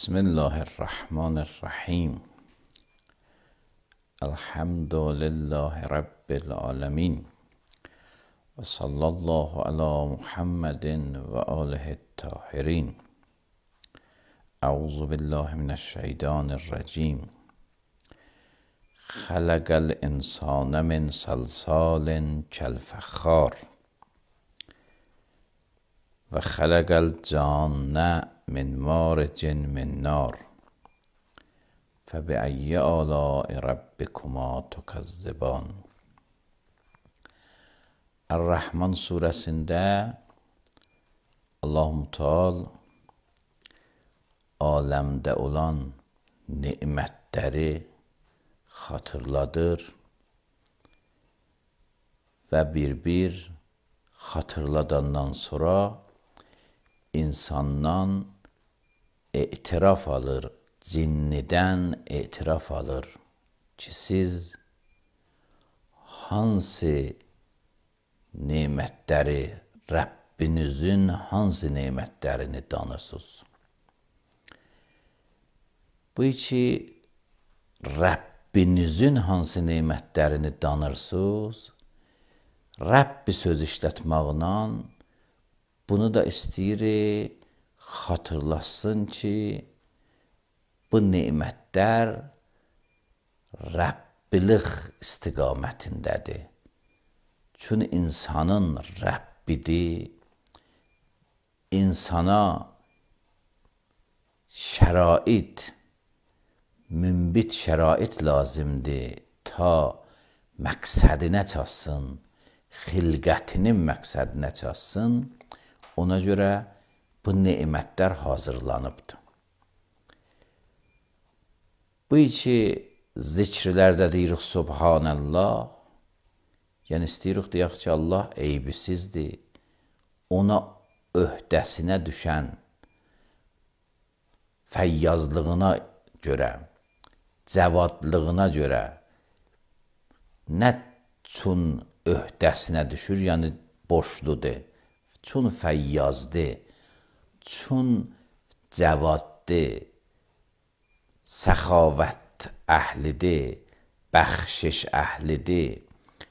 بسم الله الرحمن الرحیم. الحمد لله رب العالمین و صلی الله علی محمد و آله الطاهرین. اعوذ بالله من الشیطان الرجیم. خلق الانسان من صلصال کالفخار و خلق الجان من مارج من نار فبأی آلاء ربکما تکذبان. الرحمن suresinde Allah-u Teala alemde olan nimetleri hatırladır ve bir hatırladandan sonra insandan etiraf alır, cinniden etiraf alır ki siz hansı nimətləri, Rəbbinizin hansı nimətlərini danırsınız? Bu iki Rəbbinizin hansı nimətlərini danırsınız? Rəbbi söz işlətməklə bunu da istəyirik hatırlasın ki, bu nimətlər Rəbbilik istiqamətindədir. Çünki insanın Rəbbidir, insana şərait, münbit şərait lazımdır ta məqsədinə çatsın, xilqətinin məqsədinə çatsın. Ona görə bu nimətlər hazırlanıbdır. Bu iki zikirlərdə deyirik Subhanallah, yəni istəyirik deyək ki, Allah eybisizdir. Ona öhdəsinə düşən fəyyazlığına görə, cəvadlığına görə nə üçün öhdəsinə düşür, yəni boşludur, çün fəyyazdır, çün cəvaddır, səxavət əhlidir, bəxşiş əhlidir,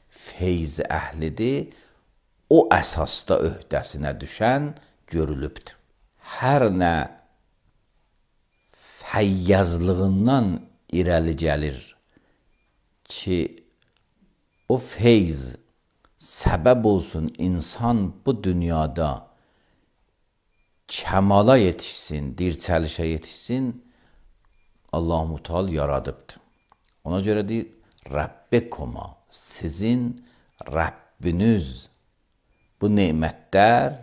feyz əhlidir, o əsasda öhdəsinə düşən görülübdür. Hər nə fəyyazlığından irəli gəlir ki, o feyz səbəb olsun insan bu dünyada kəmala yetişsin, dirçəlişə yetişsin, Allah-u Teala yaradıbdır. Ona görə deyir, Rəbbikuma, sizin Rəbbiniz. Bu nemətlər,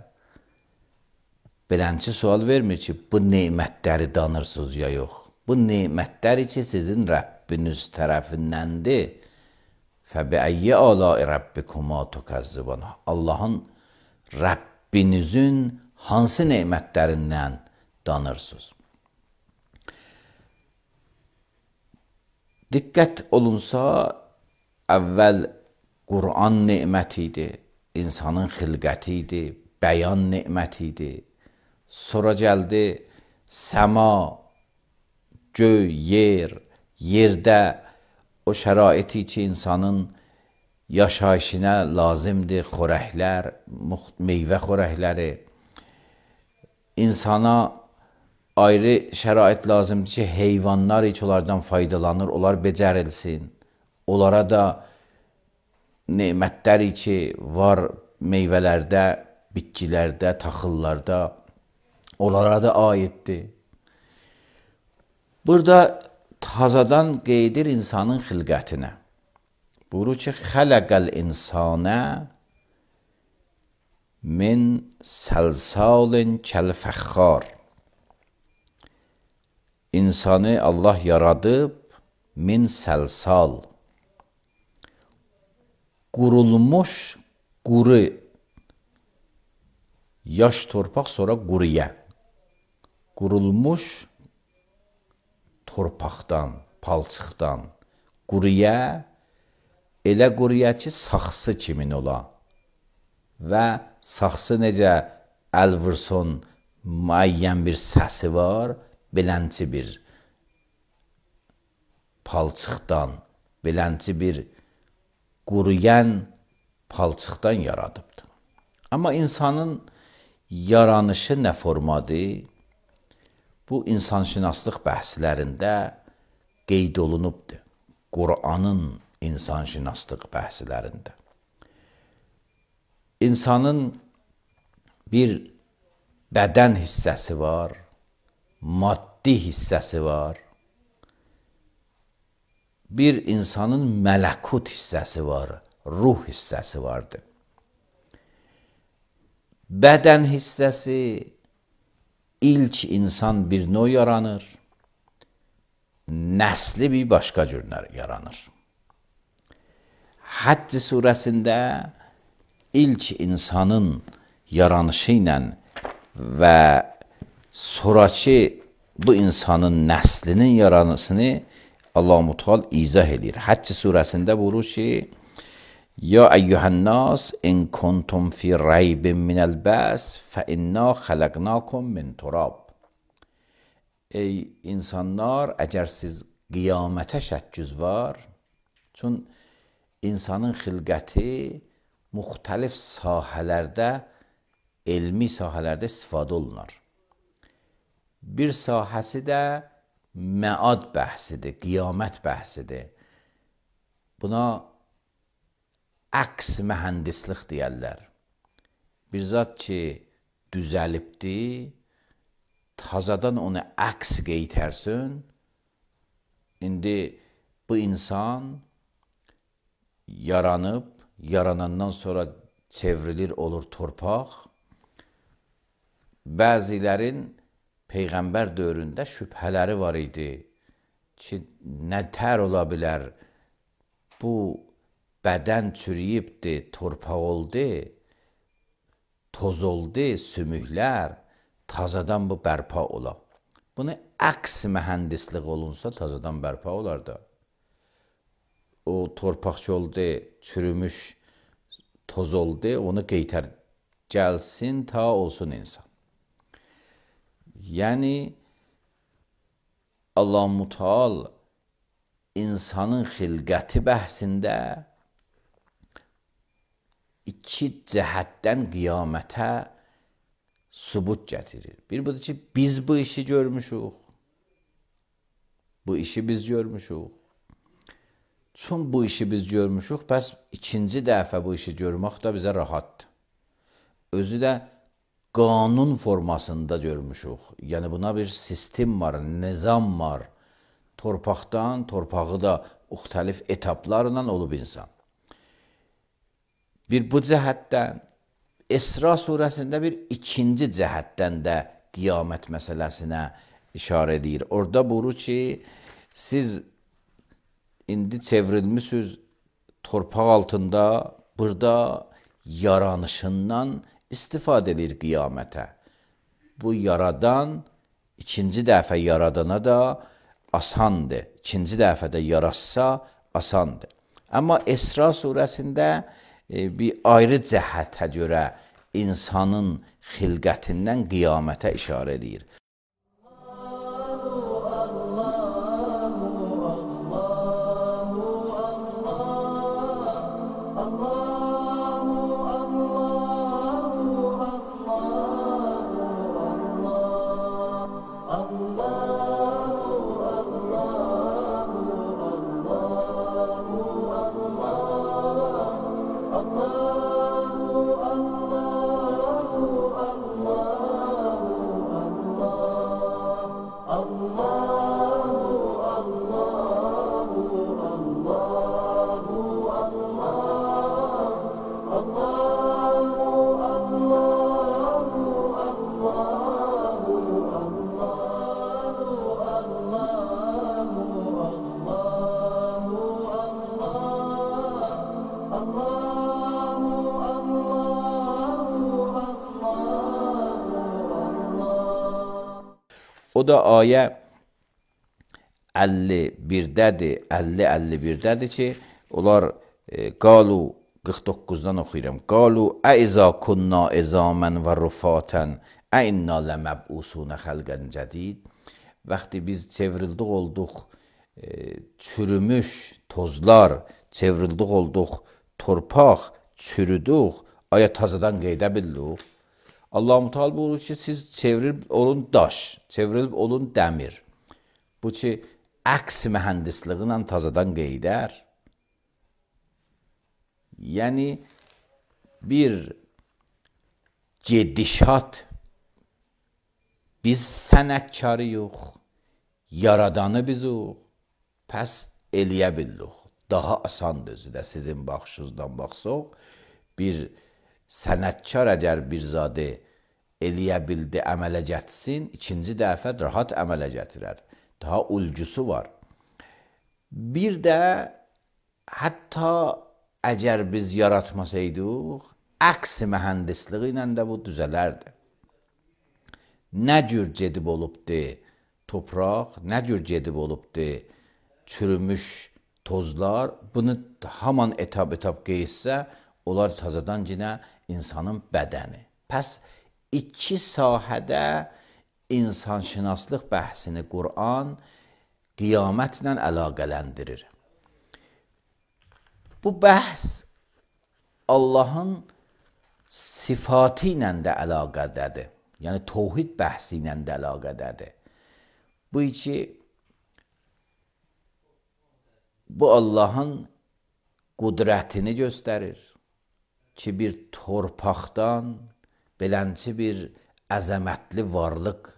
belənçi sual vermir ki, bu nemətləri danırsınız ya yox. Bu nemətləri ki, sizin Rəbbiniz tərəfindəndir. Fəbiəyyi aləi Rəbbikuma tükəzzibən. Allahın Rəbbinizin hansı nemətlərindən danırsınız? Diqqət olunsa, əvvəl Qur'an neməti idi, insanın xilqəti idi, bəyan neməti idi. Sonra gəldi səma, göy, yer, yerdə o şəraiti ki, insanın yaşayışına lazımdır, xörəklər, meyvə xörəkləri. İnsana ayrı şərait lazımdır ki, heyvanlar ki, onlardan faydalanır, onlar becərilsin. Onlara da nemətlər ki, var meyvələrdə, bitkilərdə, taxıllarda, onlara da aiddir. Burada tazadan qeydir insanın xilqətinə. Buyurur ki, xələqəl insana min səlsalin kəlfəxxar. İnsanı Allah yaradıb min səlsal. Qurulmuş quru, yaş torpaq sonra quruya. Qurulmuş torpaqdan, palçıqdan quruya, elə quruya ki, saxsı kimin ola. Və saxsı necə əl vursun, müəyyən bir səsi var, belənci bir palçıqdan, belənci bir quruyan palçıqdan yaradıbdır. Amma insanın yaranışı nə formadır? Bu insanşünaslıq bəhslərində qeyd olunubdur. Qur'anın insanşünaslıq bəhslərində. İnsanın bir bədən hissəsi var, maddi hissəsi var, bir insanın mələkut hissəsi var, ruh hissəsi vardır. Bədən hissəsi ilk insan bir növ yaranır, nəsli bir başqa cür yaranır. Həcc surəsində ilk insanın yaranışı ilə və sonraki bu insanın nəslinin yaranışını Allah-u Teala izah edir. Həcc surəsində buyurur ki, Ya eyyuhən-nas in kuntum fi raybin minəl bəs fə inna xələqnakum min turab. Ey insanlar, əgər siz qiyamətə şəkküz var, çün insanın xilqəti müxtəlif sahələrdə, elmi sahələrdə istifadə olunur. Bir sahəsi də məad bəhsidir, qiyamət bəhsidir. Buna əks mühəndislik deyərlər. Bir zat ki, düzəlibdir, tazadan onu əks qeytərsin. İndi bu insan yaranıb, yaranandan sonra çevrilir, olur torpaq. Bəzilərin Peyğəmbər dövründə şübhələri var idi ki, nə tər ola bilər, bu bədən çürüyübdir, torpaq oldu, toz oldu, sümüklər, tazadan bu bərpa ola. Bunu əks mühəndislik olunsa tazadan bərpa olar da. O torpaqçı oldu, çürümüş, toz oldu, onu qeytər, gəlsin ta olsun insan. Yəni, Allah-u Teala insanın xilqəti bəhsində iki cəhətdən qiyamətə sübut gətirir. Bir budur ki, biz bu işi görmüşük. Bu işi biz görmüşük. Çün bu işi biz görmüşük, bəs ikinci dəfə bu işi görmək də bizə rahatdır. Özü də qanun formasında görmüşük. Yəni, buna bir sistem var, nizam var. Torpaqdan, torpağı da müxtəlif etaplarla olub insan. Bir bu cəhətdən, İsra surəsində bir ikinci cəhətdən də qiyamət məsələsinə işarə edir. Orada buyurur ki, siz indi çevrilmişsiniz torpaq altında, burada yaranışından istifadə edir qiyamətə. Bu yaradan, ikinci dəfə yaradana da asandır. İkinci dəfə də yarasa asandır. Amma İsra surəsində bir ayrı cəhətə görə insanın xilqətindən qiyamətə işarə edir. O da ayə 51-dədir, 50-51-dədir ki, onlar qalu 49-dan oxuyuram. Qalu əizə kunna izamən və rufatan əinna ləməb'usunə xəlqən cədid. Vaxtı biz çevrildik olduq çürümüş tozlar, çevrildik olduq torpaq, çürüdük, aya tazadan qeydə bildik. Allah-u Teala buyurur ki, siz çevrilib olun daş, çevrilib olun dəmir. Bu ki, əks mühəndisliği ilə tazadan qeydər. Yəni, bir gedişat, biz sənətkarıyıq, yaradanı bizik, pəs eləyə bildik. Daha asandır özü də sizin baxışınızdan baxsaq, bir sənətkar əgər bir zadı eləyə bildi, əmələ gətirsin, ikinci dəfə rahat əmələ gətirər. Daha ulcusu var. Bir də hətta əgər biz yaratmasaydıq, əks mühəndisliği ilə də bu düzələrdi. Nə cür gedib olubdu topraq, nə cür gedib olubdu çürümüş tozlar, bunu haman etap-etap qeyssə, onlar tazadan yenə insanın bədəni. Pəs iki sahədə insanşünaslıq bəhsini Qur'an qiyamətlə əlaqələndirir. Bu bəhs Allahın sifatı ilə də əlaqədədir. Yəni, təvhid bəhsi ilə də əlaqədədir. Bu ki, bu Allahın qudrətini göstərir ki, bir torpaqdan belənçi bir əzəmətli varlıq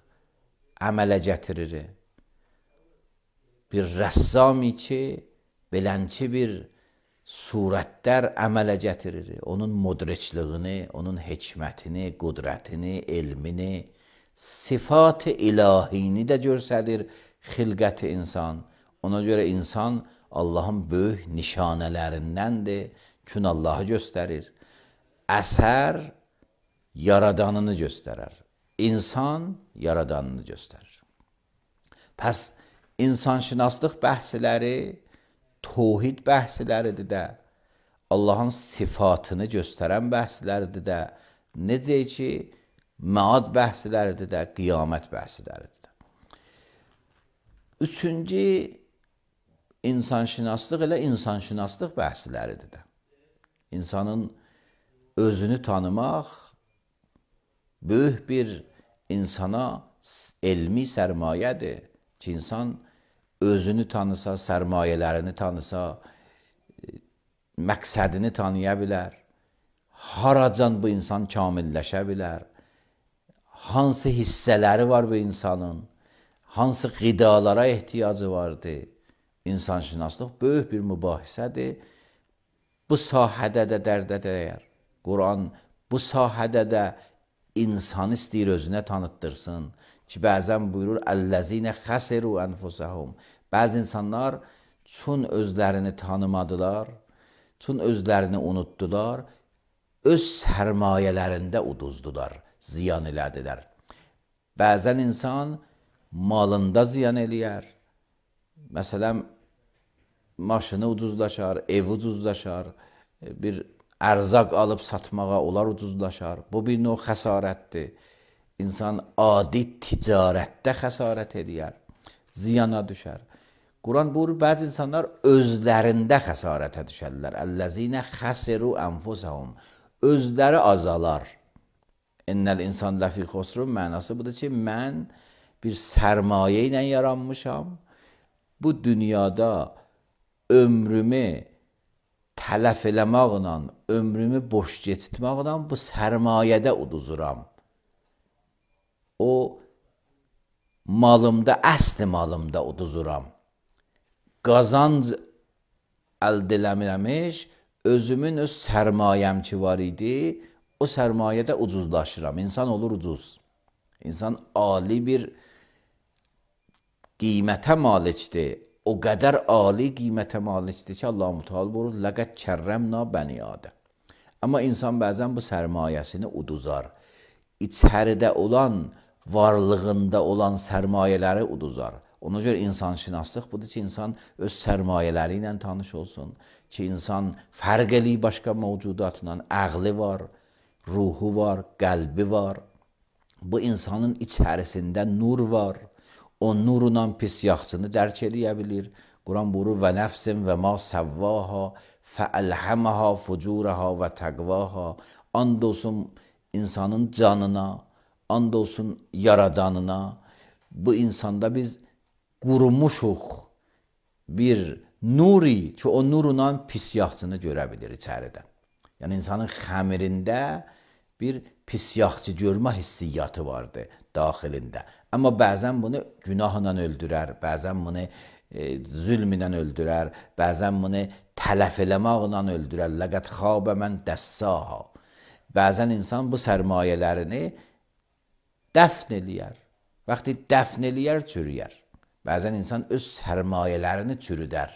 əmələ gətirir. Bir rəssami ki, belənçi bir surətlər əmələ gətirir. Onun mudriçliyini, onun hikmətini, qudrətini, elmini, sifat-ı ilahini də göstərir xilqət-i insan. Ona görə insan Allahın böyük nişanələrindəndir. Çünki Allahı göstərir. Əsər yaradanını göstərir. İnsan yaradanını göstərir. Pəs insanşünaslıq bəhsləri təvhid bəhsləridir də, Allahın sifatını göstərən bəhsləridir də, necə ki, məad bəhsləridir də, qiyamət bəhsləridir də. Üçüncü insanşünaslıq elə insanşünaslıq bəhsləridir də. İnsanın özünü tanımaq böyük bir insana elmi sərmayədir ki, insan özünü tanısa, sərmayələrini tanısa, məqsədini tanıya bilər, haracan bu insan kamilləşə bilər, hansı hissələri var bu insanın, hansı qidalara ehtiyacı vardır. İnsanşünaslıq böyük bir mübahisədir. Bu sahədə də dərdə dəyər. Quran bu sahədə də insan istəyir özünə tanıtdırsın ki, bəzən buyurur, Əl-ləzinə xəsiru ənfusəhum. Bəzi insanlar çün özlərini tanımadılar, çün özlərini unutdular, öz sərmayələrində uduzdular, ziyan elədilər. Bəzən insan malında ziyan eləyər. Məsələn, maşını ucuzlaşar, ev ucuzlaşar, bir ərzaq alıb satmağa onlar ucuzlaşar. Bu bir növ xəsarətdir. İnsan adi ticarətdə xəsarət edər, ziyana düşər. Quran buyurur, bəzi insanlar özlərində xəsarətə düşərlər. Əl-ləzinə xəsiru ənfusəhum. Özləri azalar. İnnəl insan ləfi xusrun mənası budur ki, mən bir sərmayə ilə yaranmışam. Bu dünyada ömrümü tələf eləməklə, ömrümü boş geçitməklə bu sərmayədə uduzuram. O malımda, əsli malımda uduzuram. Qazanc əldə eləmirəmiş, özümün öz sərmayəm ki var idi, o sərmayədə ucuzlaşıram. İnsan olur ucuz. İnsan ali bir qiymətə malikdir. O qədər ali qiymətə malikdir ki, Allah-u Teala buyurur, "Ləqəd kərrəmna bəni Adəm." Amma insan bəzən bu sərmayəsini uduzar. İçəridə olan varlığında olan sərmayələri uduzar. Ona görə insanşünaslıq budur ki, insan öz sərmayələri ilə tanış olsun. Ki, insan fərq eləyir başqa mövcudatla. Əqli var, ruhu var, qəlbi var. Bu insanın içərisində nur var. O nurla pis yaxşını dərk eləyə bilir. Quran buyurur və nəfsin və ma səvvaha fəəlhəməha fucuraha və təqvaha. And olsun insanın canına, and olsun yaradanına. Bu insanda biz qurumuşuq bir nuri ki, o nurla pis yaxçını görə bilir içəridən. Yəni, insanın xəmirində bir pis yaxçı görmə hissiyyatı vardı daxilində. Amma bəzən bunu günahla öldürər, bəzən bunu zülm ilə öldürər, bəzən bunu tələf eləməklə öldürər. Ləqət xabə mən dəssaha. Bəzən insan bu sərmayələrini dəfn eləyər. Vaxtı dəfn eləyər, çürüyər. Bəzən insan öz sərmayələrini çürüdər.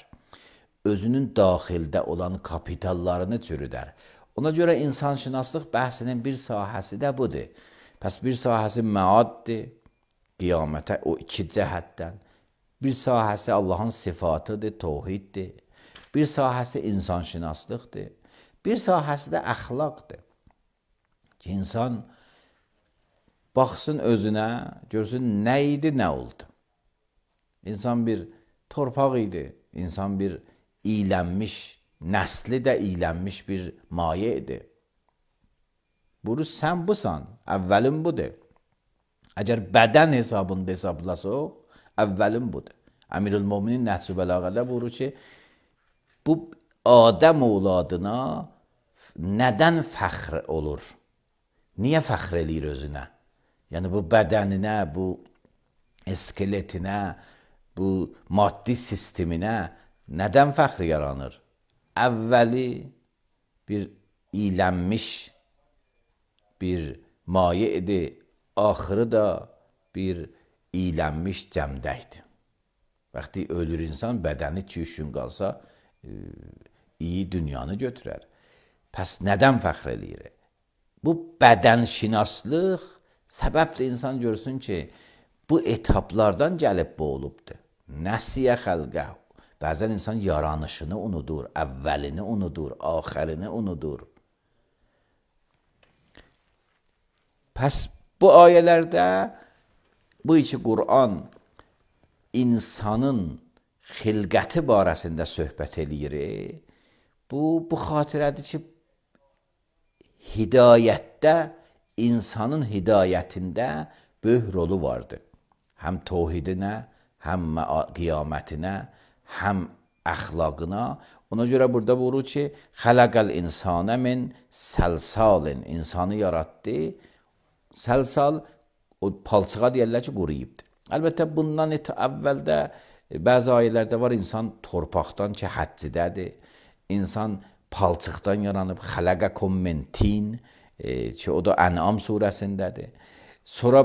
Özünün daxildə olan kapitallarını çürüdər. Ona görə insanşünaslıq bəhsinin bir sahəsi də budur. Pəs bir sahəsi məaddir, qiyamətə o iki cəhətdən. Bir sahəsi Allahın sifatıdır, tohiddir. Bir sahəsi insanşünaslıqdır. Bir sahəsi də əxlaqdır. Ki, insan baxsın özünə, görsün nə idi, nə oldu. İnsan bir torpaq idi, insan bir iylənmiş, nəsli də iylənmiş bir maye idi. Bunu sən busan, əvvəlin budur. Əgər bədən hesabında hesablasaq, əvvəlin budur. Əmirül-Möminin Nəhcü Bəlağədə buyurur ki, bu Adəm oğladına nədən fəxr olur? Niyə fəxr eləyir özünə? Yəni, bu bədəninə, bu skeletinə, bu maddi sisteminə nədən fəxr yaranır? Əvvəli bir iylənmiş bir maye idi, axırı da bir iylənmiş cəmdəkdir. Vaxtı ölür insan, bədəni 2-3 gün qalsa iyi dünyanı götürər. Pəs nədən fəxr eləyir? Bu bədənşinaslıq səbəbdir insan görsün ki, bu etaplardan gəlib bu olubdur. Nəsiyə xəlqəh. Bəzən insan yaranışını unudur, əvvəlini unudur, axərini unudur. Pəs bu ayələrdə bu iki Qur'an insanın xilqəti barəsində söhbət eləyir. Bu xatirədir ki, hidayətdə, insanın hidayətində böyük rolu vardır. Həm tohidinə, həm qiyamətinə, həm əxlaqına. Ona görə burada buyurur ki, xələqəl insanə min səlsalin. İnsanı yaratdı. Səlsal, o palçığa deyərlər ki, quruyubdur. Əlbəttə, bundan əvvəldə bəzi ayələrdə var, insan torpaqdan ki, həccidədir. İnsan palçıqdan yaranıb, xələqəkum min tin, ki, o da Ən'am surəsindədir. Sonra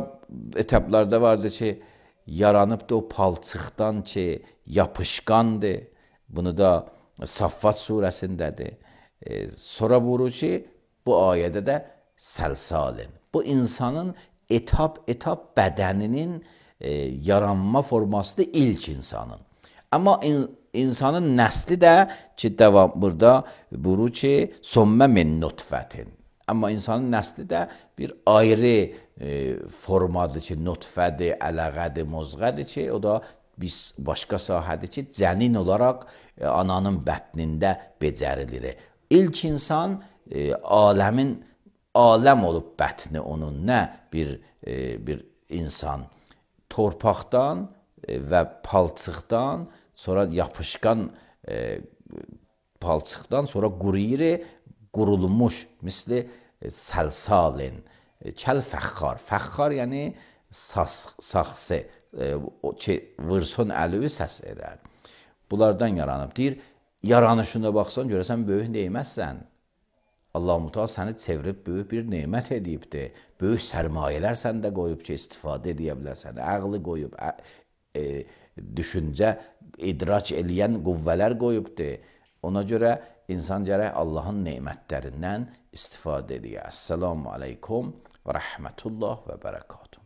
etaplarda vardı ki, yaranıb da o palçıqdan ki, yapışqandır. Bunu da Saffat surəsindədir. Sonra buyurur ki, bu ayədə də səlsalin. Bu insanın etap bədəninin yaranma formasıdır ilk insanın. Amma insanın nəsli də ki, burada buyurur ki, sommə min nutfətin. Amma insanın nəsli də bir ayrı formadır ki, nutfədir, ələqədir, mozğədir ki, o da biz başqa sahədir ki, cənin olaraq ananın bətnində becərilir. İlk insan aləm olub bətni onun, nə bir insan torpaqdan və palçıqdan, sonra yapışqan palçıqdan, sonra quruyur, qurulmuş, misli səlsalin, kəl fəxxar. Fəxxar yəni saxsı, vırson əlivi səs edər. Bunlardan yaranıb. Deyir, yaranışına baxsan, görəsən, böyük neyməzsən. Allah-u Teala səni çevirib böyük bir neymət edibdir. Böyük sərmayələr səndə qoyub ki, istifadə edə bilərsən. Əqli qoyub, düşüncə, idrac eləyən qüvvələr qoyubdur. Ona görə insan gərək Allahın neymətlərindən istifadə edir. Əssalamu aleykum və rəhmətullah və bərəkatuhu.